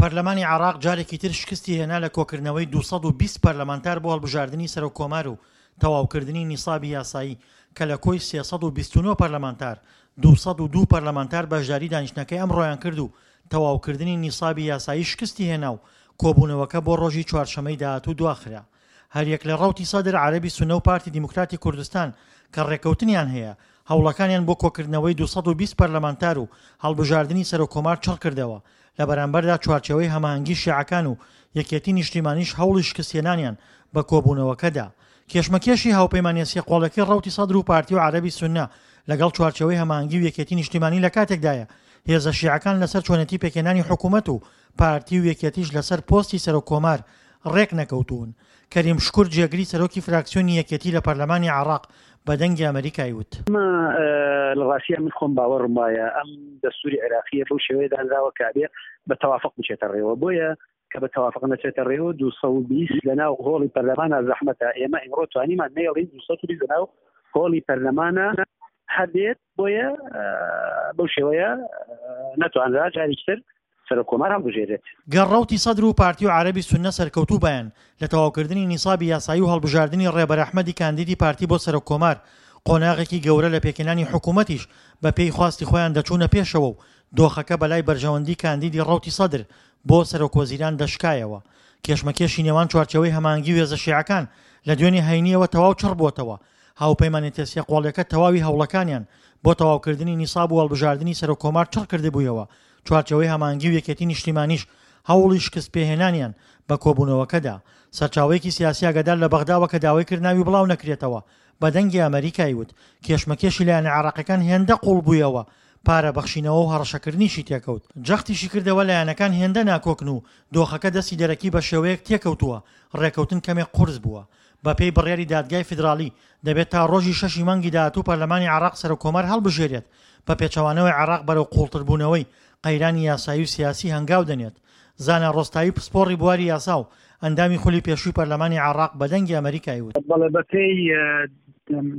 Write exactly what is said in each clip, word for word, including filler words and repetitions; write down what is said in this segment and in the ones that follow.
پەرلەمانی عێراق جارێکی تر شکستی هێنا لە کۆکردنەوەی دوو سەد و بیست پەرلەمانتار بۆ هەڵبژاردنی سەرۆک کۆمار و تەواوکردنی نیسابی یاسایی کە لە کۆی سێ سەد و بیست و نۆ پەرلەمانتار دوو سەد و دوو پەرلەمانتار بەشداری دانیشتنەکەی ئەمڕۆیان کرد و تەواوکردنی نیسابی یاسایی شکستی هێنا و کۆبوونەوەکە بۆ ڕۆژی چوارشەمەی داهاتوو دواخرا. هەریەک لە ڕەوتی سەدر، عەرەبی سوننە و پارتی دیموکراتی کوردستان کە ڕێککەوتنیان هەیە، هەوڵەکانیان بۆ کۆکردنەوەی دوو سەد و بیست پەرلەمانتار و هەڵبژاردنی سەرۆککۆمار چڕکردەوە، لە بەرامبەردا چوارچێوەی هەماهەنگی شیعەکان و یەکێتی نیشتیمانیش هەوڵی شکستهێنانیان بە کۆبوونەوەکە دا. کێشمەکێشی هاوپەیمانیە سێ قۆڵیەکەی ڕەوتی سەدر و پارتی و عەرەبی سوننە لەگەڵ چوارچێوەی هەماهەنگی و یەکێتی نیشتیمانی لە کاتێکدایە هێزە شیعەکان لەسەر چۆنێتی پێکهێنانی حکومەت و پارتی و یەکێتیش لەسەر پۆستی سەرۆک کۆمار ڕێکنەکەوتوون. کەریم شکور جێگری سەرۆکی فراکسیۆنی یەکێتی لە پەرلەمانی عێراق بە دەنگی ئەمەریکای وت. ئەمە لە ڕاستیا من خۆم باوەڕم وایە ئەم دەستوری عێراقیە بەو شێوەیە دانراوە کە ئەبێ بە تەوافق بچێتە ڕێوە، بۆیە کە بە تەوافق نەچێتە ڕێوە دوو سەد و بیست لەناو هۆڵی پەرلەمانا زەحمەتە. ئێمە ئیمڕۆ توانیمان نەیەڵین دوو سەد و بیست لەناو هۆڵی پەرلەمانا هەبێت، بۆیە بەو شێوەیە نەتوانرا جارێکی تر سەرۆک کۆمار هەڵبژێرێت. گەر ڕەوتی سەدر و پارتی و عەرەبی سوننە سەرکەوتوو بایەن لە تەواوکردنی نیسابی یاسایی و هەڵبژاردنی ڕێبەر ئەحمەدی کاندیدی پارتی بۆ سەرۆک کۆمار، قۆناغێکی گەورە لە پێکهێنانی حکوومەتیش بە پێی خواستی خۆیان دەچوونە پێشەوە و دۆخەکە بەلای بەرژەوەندی کاندیدی ڕەوتی سەدر بۆ سەرۆکوەزیران دەشکایەوە. کێشمەکێشی نێوان چوارچێوەی هەماهەنگی و هێزە شیعەکان لە دوێنێ هەینییەوە تەواو چڕ بووەتەوە. هاوپەیمانێتیە سێ قۆڵیەکە تەواوی هەوڵەکانیان بۆ تەواوکردنی نیساب و هەڵبژاردنی سەرۆک کۆمار چڕ کردبوویەوە، چوارچێوەی هەماهەنگی و یەکێتی نیشتیمانیش هەوڵی شکستپێهێنانیان بە کۆبوونەوەکە دا. سەرچاوەیەکی سیاسی ئاگادار لە بەغداوە کە داوای کرد ناوی بڵاو نەکرێتەوە بە دەنگی ئەمەریکای وت، کێشمەکێشی لایەنە عێراقیەکان هێندە قوڵ بوویەوە پارە بەخشینەوە و هەڕەشەکردنیشی تێکەوت. جەختیشی کردەوە لایەنەکان هێندە ناکۆکن و دۆخەکە دەستی دەرەکی بە شێوەیەک تێکەوتووە ڕێکەوتن کەمێک قورس بووە. بەپێی بڕیاری دادگای فیدراڵی دەبێت تا ڕۆژی شەشی مانگی داهاتوو پەرلەمانی عێراق سەرۆککۆمار هەڵبژێرێت، بە پێچەوانەوەی عێراق بەرەو قوڵتربوونەوەی قەیرانی یاسایی و سیاسی هەنگاو دەنێت. زانا ڕۆستایی پسپۆڕی بواری یاسا و ئەندامی خولی پێشووی پەرلەمانی عێراق بە دەنگی ئەمەریکای وت. بەڵێ، بەپێی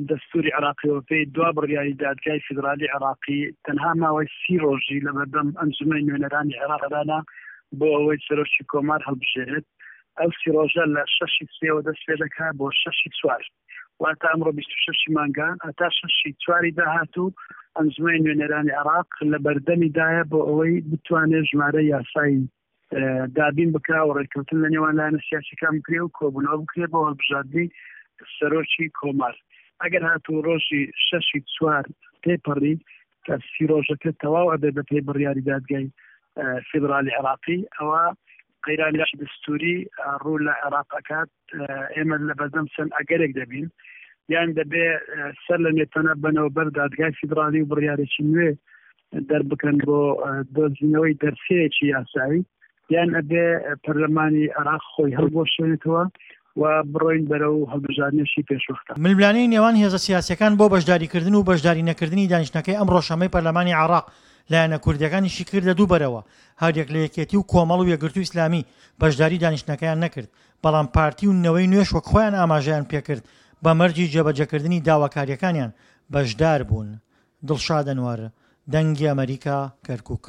دەستوری عێراقی و بەپێی دوا بڕیاری دادگای فیدرالی عێراقی تەنها ماوەی سی ڕۆژی لەبەردەم ئەنجومەنی نوێنەرانی عێراقدانا بۆ ئەوەی سەرۆکی کۆمار هەڵبژێرێت. ئەو سی ڕۆژە لە شەشی سێوە دەست پێ دەکات بۆ شەشی چوار، واتە ئەمڕۆ بیست و شەشی مانگە هەتا شەشی چواری داهاتوو ئەنجومەنی نوێنەرانی عێراق لە بەردەمیدایە بۆ ئەوەی بتوانێت ژمارە یاسایی دابین بکا و ڕێککەوتن لە نێوان لایەنە سیاسیەکان بکرێ و کۆبوونەوە بکرێ بۆ هەڵبژاردنی سەرۆکی کۆمار. ئەگەر هاتوو ڕۆژی شەشی چوار تێپەڕی کە سی ڕۆژەکە تەواو ئەبێ بە پێی بڕیاری دادگای فیدرالی عێراقی، ئەوە قەیرانێکی دەستوری ڕوو لە عێراق ئەکات. ئێمە لە بەردەم چەند ئەگەرێک دەبین، یان دەبێ سەر لە نوێ بەنەوە بەر دادگای فیدرالی و بڕیارێکی نوێ دەربکەن بۆ دۆزینەوەی دەرسەیەکی یاسایی، یان ئەبێ پەرلەمانی عێراق خۆی هەڵبوەشێنێتەوە و بڕۆین بەرەو هەڵبژاردنێکی پێشوەختە. ململانێی نێوان هێزە سیاسییەکان بۆ بەشداریکردن و بەشداری نەکردنی دانیشتنەکەی ئەمڕۆ شەممەی پەرلەمانی عێراق لایەنە کوردییەکانیشی کردە دوو بەرەوە، هەریەک لە یەکێتی و کۆمەڵ و یەکگرتوو ئیسلامی بەشداری دانیشتنەکەیان نەکرد، بەڵام پارتی و نەوەی نوێش وەک خۆیان ئاماژەیان پێکرد بە مەرجی جێبەجێکردنی داواکارییەکانیان بەشداربوون. دڵشاد ئەنوەر، دەنگی ئەمەریکا، کەرکوک.